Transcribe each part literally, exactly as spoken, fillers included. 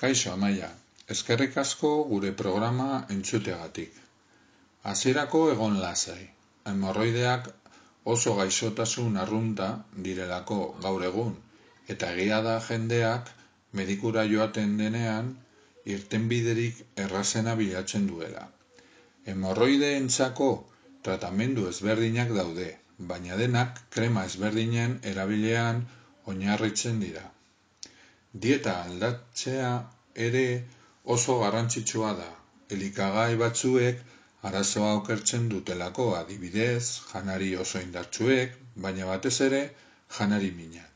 Kaixo Amaia, eskerrik asko gure programa entzuteagatik. Hasierako egon lasai. Hemorroideak oso gaixotasun arrunta direlako gaur egun, eta egia da jendeak medikura joaten denean irtenbiderik errazena bilatzen duela. Hemorroideentzako tratamendu ezberdinak daude, baina denak krema ezberdinen erabilean oinarritzen dira. Dieta aldatzea ere oso garrantzitsua da. Elikagai batzuek arazoa okertzen dutelako, adibidez, janari oso indartsuek, baina batez ere janari minak.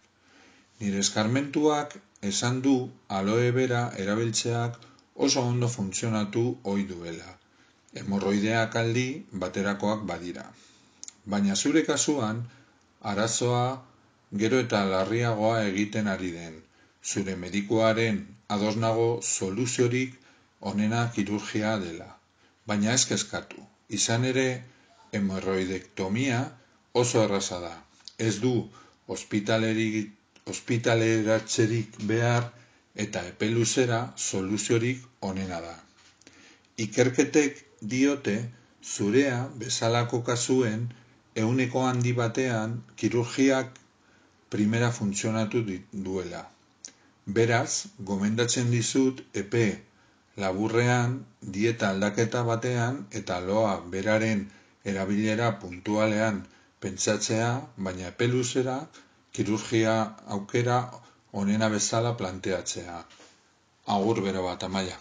Nire eskarmentuak esan du aloe vera erabiltzeak oso ondo funtzionatu ohi duela. Hemorroideak aldi baterakoak badira. Baina zure kasuan arazoa gero eta larriagoa egiten ari den. Zure medikuaren ados nago soluziorik onena kirurgia dela. Baina ez kezkatu. Izan ere, hemorroidektomia oso erraza da. Ez du ospitaleratzerik behar eta epe luzera soluziorik onena da. Ikerketek diote zurea bezalako kasuen ehuneko handi batean kirurgiak primera funtzionatu duela. Beraz, gomendatzen dizut epe laburrean dieta aldaketa batean eta aloa beraren erabilera puntualean pentsatzea, baina epe luzera kirurgia aukera onena bezala planteatzea. Agur bero bat, Amaia.